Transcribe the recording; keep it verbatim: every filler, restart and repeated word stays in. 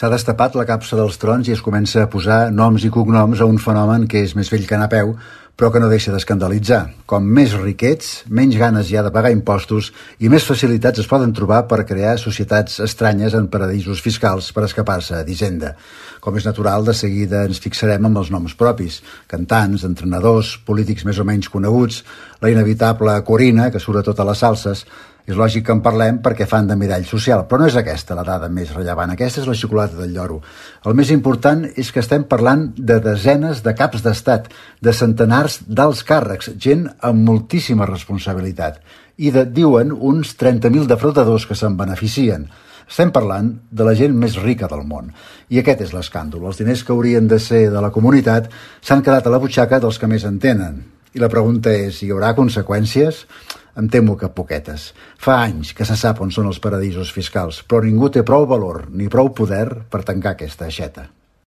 S'ha destapat la capsa dels trons i es comença a posar noms i cognoms a un fenomen que és més vell que anar a peu, però que no deixa d'escandalitzar. Com més riquets, menys ganes hi ha de pagar impostos i més facilitats es poden trobar per crear societats estranyes en paradisos fiscals per escapar-se d'Hisenda. Com és natural, de seguida ens fixarem amb els noms propis. Cantants, entrenadors, polítics més o menys coneguts, la inevitable Corina, que surt a totes les salses. És lògic que en parlem perquè fan de mirall social, però no és aquesta la dada més rellevant. Aquesta és la xocolata del lloro. El més important és que estem parlant de desenes de caps d'estat, de centenars d'alts càrrecs, gent amb moltíssima responsabilitat, i de, diuen, uns trenta mil defraudadors que se'n beneficien. Estem parlant de la gent més rica del món. I aquest és l'escàndol. Els diners que haurien de ser de la comunitat s'han quedat a la butxaca dels que més en tenen. I la pregunta és, hi haurà conseqüències? Em temo que poquetes. Fa anys que se sap on són els paradisos fiscals, però ningú té prou valor ni prou poder per tancar aquesta aixeta.